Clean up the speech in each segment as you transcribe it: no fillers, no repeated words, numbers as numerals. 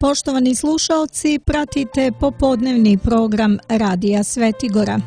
Poštovani slušaoci, pratite popodnevni program Radija Svetigora.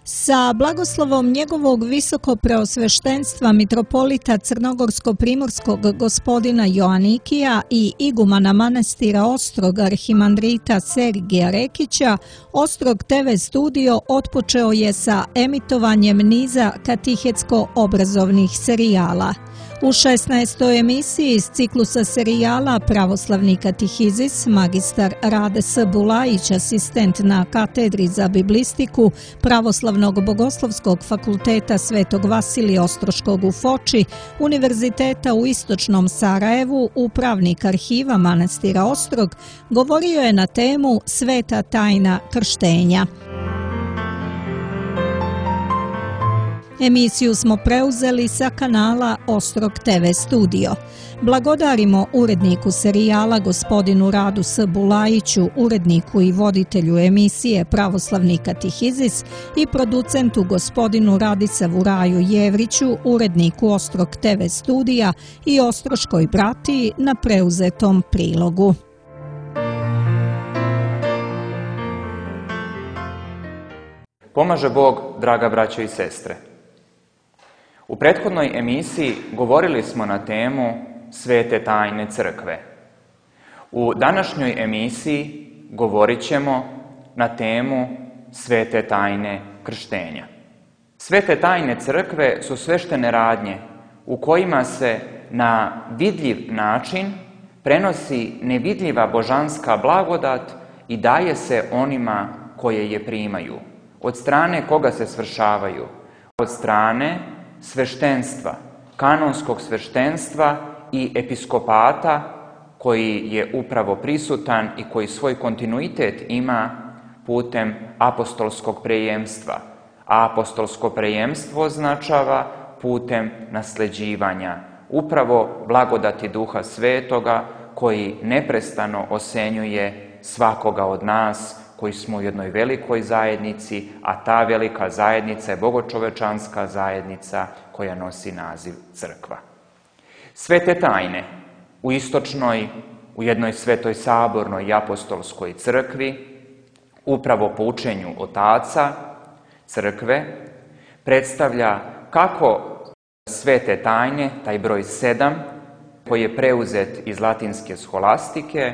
Sa blagoslovom njegovog visokopreosveštenstva mitropolita Crnogorsko-primorskog gospodina Joanikija i igumana manastira Ostrog arhimandrita Sergija Rekića, Ostrog TV studio otpočeo je sa emitovanjem niza katehetsko-obrazovnih serijala. U 16. emisiji iz ciklusa serijala Pravoslavni katehizis, magistar Rade S. Bulajić, asistent na katedri za biblistiku Pravoslavnog bogoslovskog fakulteta Svetog Vasilija Ostroškog u Foči, Univerziteta u Istočnom Sarajevu, upravnik arhiva manastira Ostrog, govorio je na temu Sveta tajna krštenja. Emisiju smo preuzeli sa kanala Ostrog TV studio. Blagodarimo uredniku serijala gospodinu Radu S. Bulajiću, uredniku i voditelju emisije Pravoslavni katehizis i producentu gospodinu Radisavu Raju Jevriću, uredniku Ostrog TV studija i Ostroškoj bratiji na preuzetom prilogu. Pomaže Bog, draga braćo i sestre. U prethodnoj emisiji govorili smo na temu Svete tajne crkve. U današnjoj emisiji govorit ćemo na temu Svete tajne krštenja. Svete tajne crkve su sveštene radnje u kojima se na vidljiv način prenosi nevidljiva božanska blagodat i daje se onima koje je primaju. Od strane koga se svršavaju? Od strane sveštenstva, kanonskog sveštenstva i episkopata koji je upravo prisutan i koji svoj kontinuitet ima putem apostolskog prejemstva. A apostolsko prejemstvo označava putem nasleđivanja, upravo blagodati Duha Svetoga koji neprestano osenjuje svakoga od nas koji smo u jednoj velikoj zajednici, a ta velika zajednica je bogočovečanska zajednica koja nosi naziv crkva. Svete tajne u istočnoj, u jednoj svetoj sabornoj i apostolskoj crkvi, upravo po učenju otaca crkve, predstavlja kako svete tajne, taj broj 7, koji je preuzet iz latinske sholastike,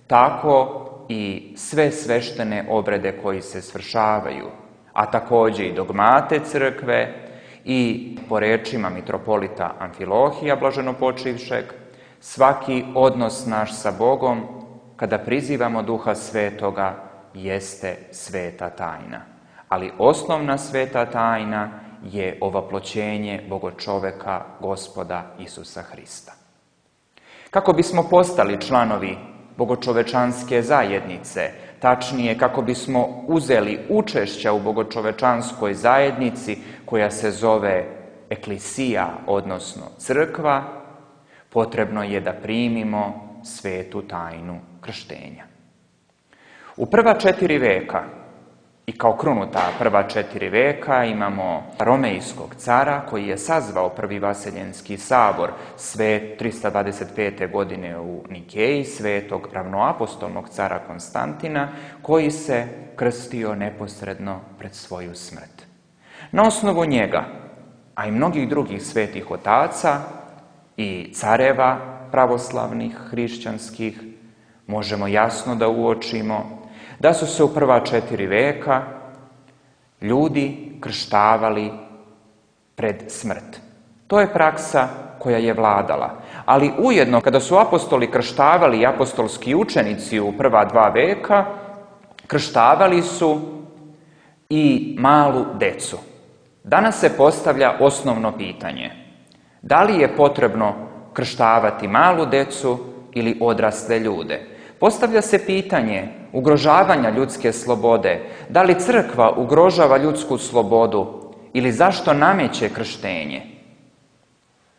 tako i sve sveštene obrede koji se svršavaju, a također i dogmate crkve i po rečima mitropolita Amfilohija blaženopočivšeg, svaki odnos naš sa Bogom kada prizivamo Duha Svetoga jeste sveta tajna. Ali osnovna sveta tajna je ovaploćenje Bogočoveka Gospoda Isusa Hrista. Kako bismo postali članovi bogočovečanske zajednice, tačnije kako bismo uzeli učešća u bogočovečanskoj zajednici koja se zove eklisija, odnosno crkva, potrebno je da primimo svetu tajnu krštenja. U prva 4 veka i kao krunu ta prva 4 veka imamo Romejskog cara koji je sazvao prvi Vaseljenski sabor 325. godine u Nikeji, svetog ravnoapostolnog cara Konstantina, koji se krstio neposredno pred svoju smrt. Na osnovu njega, a i mnogih drugih svetih otaca i careva pravoslavnih, hrišćanskih, možemo jasno da uočimo da su se u prva 4 veka ljudi krštavali pred smrt. To je praksa koja je vladala. Ali ujedno, kada su apostoli krštavali i apostolski učenici u prva 2 veka, krštavali su i malu decu. Danas se postavlja osnovno pitanje. Da li je potrebno krštavati malu decu ili odrasle ljude? Postavlja se pitanje ugrožavanja ljudske slobode. Da li crkva ugrožava ljudsku slobodu ili zašto nameće krštenje?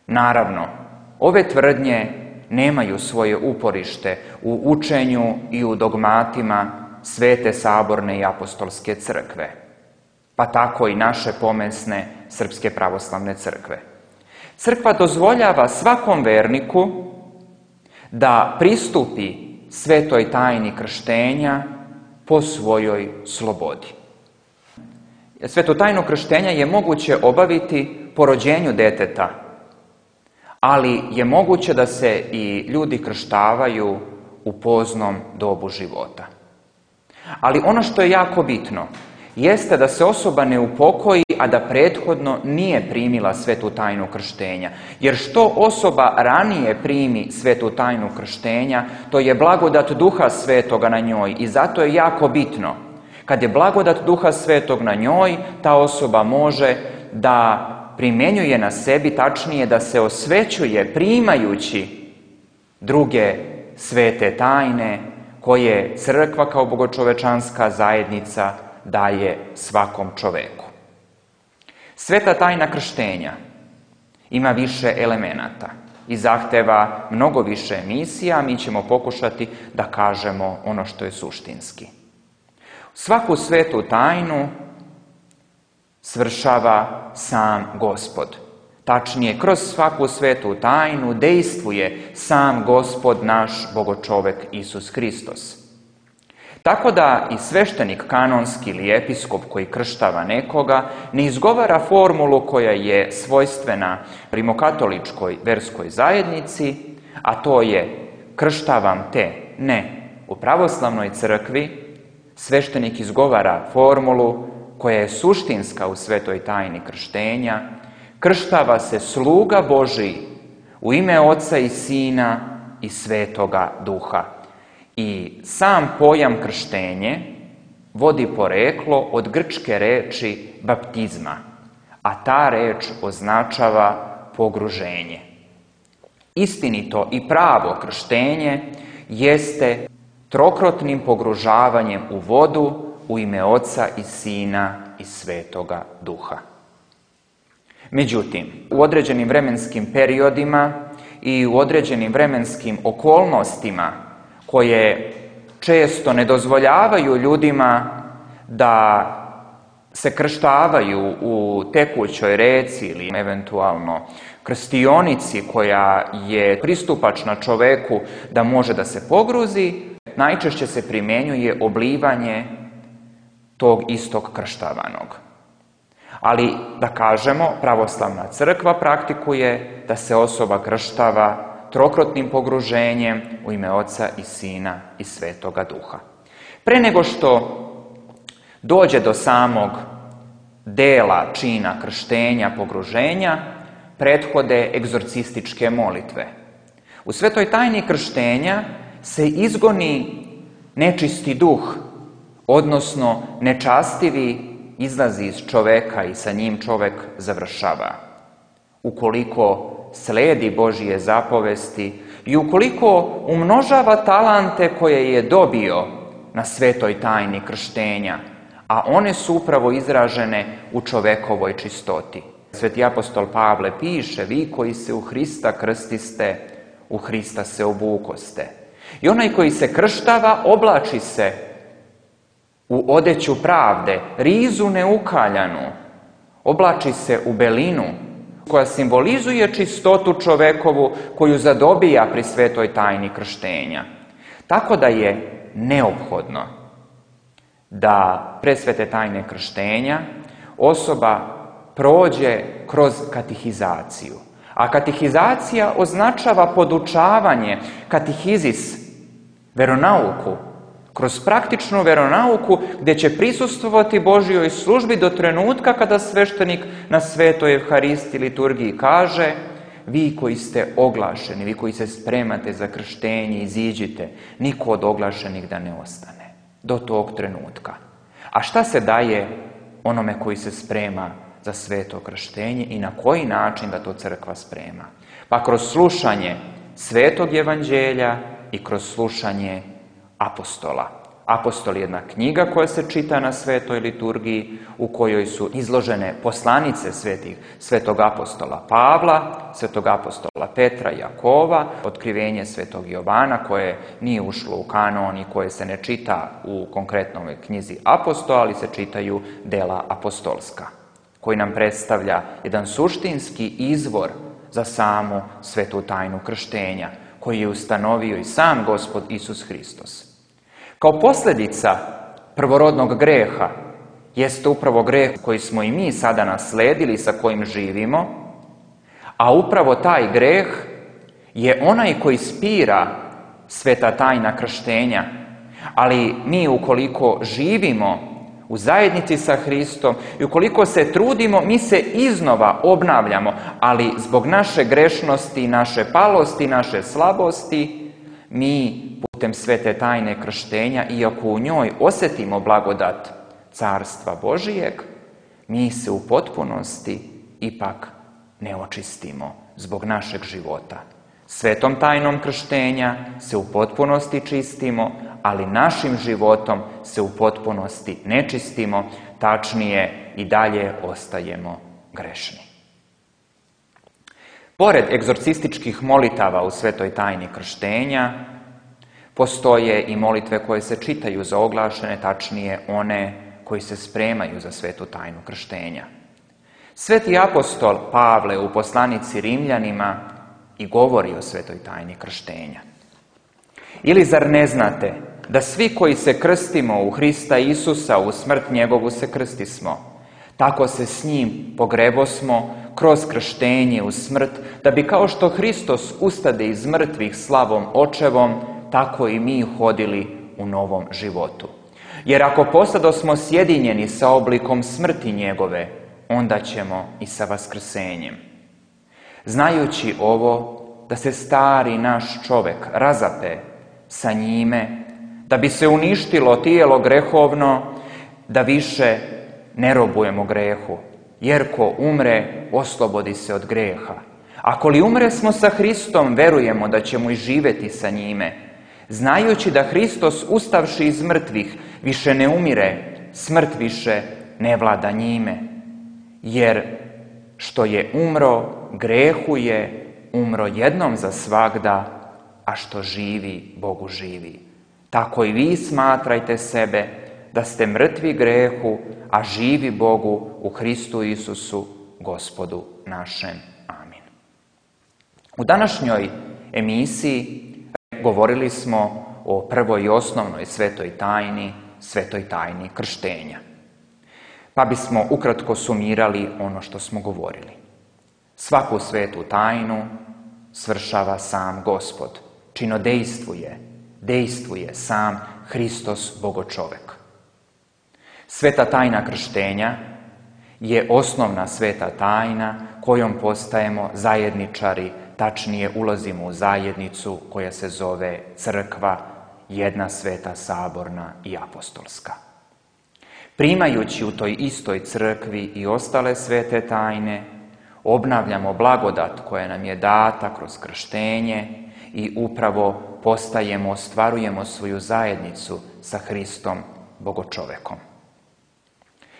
Naravno, ove tvrdnje nemaju svoje uporište u učenju i u dogmatima Svete saborne i apostolske crkve, pa tako i naše pomesne Srpske pravoslavne crkve. Crkva dozvoljava svakom verniku da pristupi svetoj tajni krštenja po svojoj slobodi. Svetu tajnu krštenja je moguće obaviti po rođenju deteta, ali je moguće da se i ljudi krštavaju u poznom dobu života. Ali ono što je jako bitno jeste da se osoba ne upokoji, a da prethodno nije primila svetu tajnu krštenja. Jer što osoba ranije primi svetu tajnu krštenja, to je blagodat Duha Svetoga na njoj. I zato je jako bitno, kad je blagodat Duha Svetog na njoj, ta osoba može da primjenjuje na sebi, tačnije da se osvećuje primajući druge svete tajne koje crkva kao bogočovečanska zajednica daje svakom čoveku. Sveta tajna krštenja ima više elemenata i zahteva mnogo više emisija, mi ćemo pokušati da kažemo ono što je suštinski. Svaku svetu tajnu svršava sam Gospod. Tačnije, kroz svaku svetu tajnu dejstvuje sam Gospod naš bogočovek Isus Hristos. Tako da i sveštenik kanonski ili episkop koji krštava nekoga ne izgovara formulu koja je svojstvena rimokatoličkoj verskoj zajednici, a to je krštavam te. Ne, u pravoslavnoj crkvi sveštenik izgovara formulu koja je suštinska u svetoj tajni krštenja. Krštava se sluga Božiji u ime Oca i Sina i Svetoga Duha. I sam pojam krštenje vodi poreklo od grčke reči baptizma, a ta reč označava pogruženje. Istinito i pravo krštenje jeste trokrotnim pogružavanjem u vodu u ime Oca i Sina i Svetoga Duha. Međutim, u određenim vremenskim periodima i u određenim vremenskim okolnostima koje često ne dozvoljavaju ljudima da se krštavaju u tekućoj reci ili eventualno krstionici koja je pristupačna čoveku da može da se pogruzi, najčešće se primjenjuje oblivanje tog istog krštavanog. Ali, da kažemo, pravoslavna crkva praktikuje da se osoba krštava trokrotnim pogruženjem u ime Oca i Sina i Svetoga Duha. Pre nego što dođe do samog dela čina krštenja, pogruženja, prethode egzorcističke molitve. U svetoj tajni krštenja se izgoni nečisti duh, odnosno nečastivi izlazi iz čoveka i sa njim čovek završava. Ukoliko sledi Božije zapovesti i ukoliko umnožava talante koje je dobio na svetoj tajni krštenja, a one su upravo izražene u čovekovoj čistoti. Sveti apostol Pavle piše: vi koji se u Hrista krstiste, u Hrista se obukoste. I onaj koji se krštava oblači se u odeću pravde, rizu neukaljanu, oblači se u belinu koja simbolizuje čistotu čovekovu koju zadobija pri svetoj tajni krštenja. Tako da je neophodno da pre svete tajne krštenja osoba prođe kroz katehizaciju. A katehizacija označava podučavanje, katehizis, veronauku, kroz praktičnu veronauku gdje će prisustvovati Božjoj službi do trenutka kada sveštenik na svetoj Evharistiji liturgiji kaže: vi koji ste oglašeni, vi koji se spremate za krštenje, iziđite, niko od oglašenih da ne ostane do tog trenutka. A šta se daje onome koji se sprema za sveto krštenje i na koji način da to crkva sprema? Pa kroz slušanje svetog evanđelja i kroz slušanje apostola. Apostol je jedna knjiga koja se čita na svetoj liturgiji, u kojoj su izložene poslanice svetog apostola Pavla, svetog apostola Petra, Jakova, otkrivenje svetog Jovana koje nije ušlo u kanon i koje se ne čita u konkretnoj knjizi apostola, ali se čitaju dela apostolska, koji nam predstavlja jedan suštinski izvor za samu svetu tajnu krštenja, koju je ustanovio i sam Gospod Isus Hristos. Kao posljedica prvorodnog greha jeste upravo greh koji smo i mi sada nasledili, sa kojim živimo, a upravo taj greh je onaj koji spira sveta tajna krštenja. Ali mi ukoliko živimo u zajednici sa Hristom i ukoliko se trudimo, mi se iznova obnavljamo, ali zbog naše grešnosti, naše palosti, naše slabosti, mi putem svete tajne krštenja, iako u njoj osjetimo blagodat Carstva Božijeg, mi se u potpunosti ipak ne očistimo zbog našeg života. Svetom tajnom krštenja se u potpunosti čistimo, ali našim životom se u potpunosti ne čistimo, tačnije i dalje ostajemo grešni. Pored egzorcističkih molitava u svetoj tajni krštenja, postoje i molitve koje se čitaju za oglašene, tačnije one koji se spremaju za svetu tajnu krštenja. Sveti apostol Pavle u poslanici Rimljanima i govori o svetoj tajni krštenja. Ili zar ne znate da svi koji se krstimo u Hrista Isusa, u smrt njegovu se krstismo, tako se s njim pogrebosmo kroz krštenje u smrt, da bi kao što Hristos ustade iz mrtvih slavom očevom, tako i mi hodili u novom životu. Jer ako posadosmo sjedinjeni sa oblikom smrti njegove, onda ćemo i sa vaskrsenjem. Znajući ovo, da se stari naš čovjek razape sa njime, da bi se uništilo tijelo grehovno, da više ne robujemo grehu, jer ko umre, oslobodi se od greha. Ako li umre smo sa Hristom, verujemo da ćemo i živjeti sa njime, znajući da Hristos, ustavši iz mrtvih, više ne umire, smrt više ne vlada njime. Jer što je umro, grehu je umro jednom za svagda, a što živi, Bogu živi. Tako i vi smatrajte sebe da ste mrtvi grehu, a živi Bogu u Hristu Isusu, Gospodu našem. Amin. U današnjoj emisiji govorili smo o prvoj i osnovnoj svetoj tajni krštenja. Pa bismo ukratko sumirali ono što smo govorili. Svaku svetu tajnu svršava sam Gospod. Dejstvuje sam Hristos, Bogočovek. Sveta tajna krštenja je osnovna sveta tajna kojom postajemo zajedničari, tačnije ulazimo u zajednicu koja se zove crkva, jedna sveta, saborna i apostolska. Primajući u toj istoj crkvi i ostale svete tajne, obnavljamo blagodat koja nam je data kroz krštenje i upravo ostvarujemo svoju zajednicu sa Hristom, Bogočovekom.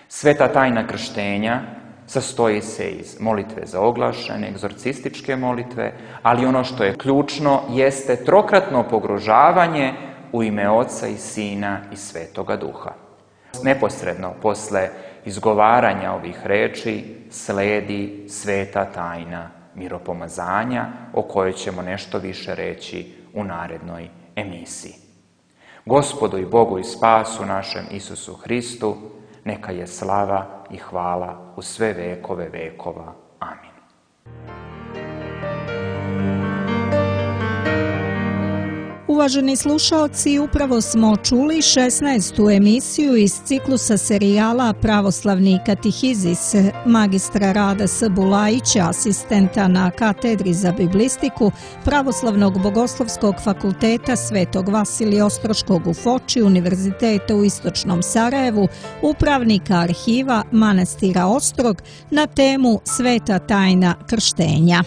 Sveta tajna krštenja sastoji se iz molitve za oglašene, egzorcističke molitve, ali ono što je ključno jeste trokratno pogružavanje u ime Oca i Sina i Svetoga Duha. Neposredno posle izgovaranja ovih reči sledi sveta tajna miropomazanja, o kojoj ćemo nešto više reći u narednoj emisiji. Gospodu i Bogu i spasu našem Isusu Hristu, neka je slava i hvala u sve vekove vekova. Amin. Uvaženi slušaoci, upravo smo čuli 16. emisiju iz ciklusa serijala Pravoslavni katehizis magistra Rada S. Bulajića, asistenta na katedri za biblistiku Pravoslavnog bogoslovskog fakulteta Svetog Vasilija Ostroškog u Foči, Univerziteta u Istočnom Sarajevu, upravnika arhiva manastira Ostrog na temu Sveta tajna krštenja.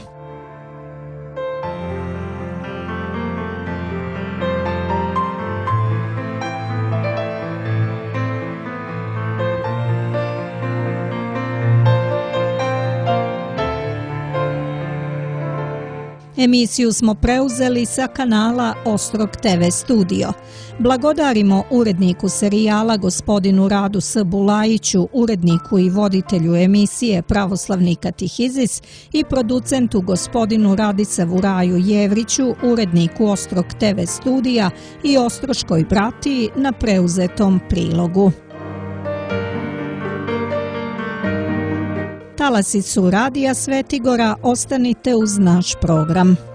Emisiju smo preuzeli sa kanala Ostrog TV studio. Blagodarimo uredniku serijala gospodinu Radu S. Bulajiću, uredniku i voditelju emisije Pravoslavni katehizis i producentu gospodinu Radisavu Raju Jevriću, uredniku Ostrog TV studija i Ostroškoj bratiji na preuzetom prilogu. Talasi su Radija Svetigora, ostanite uz naš program.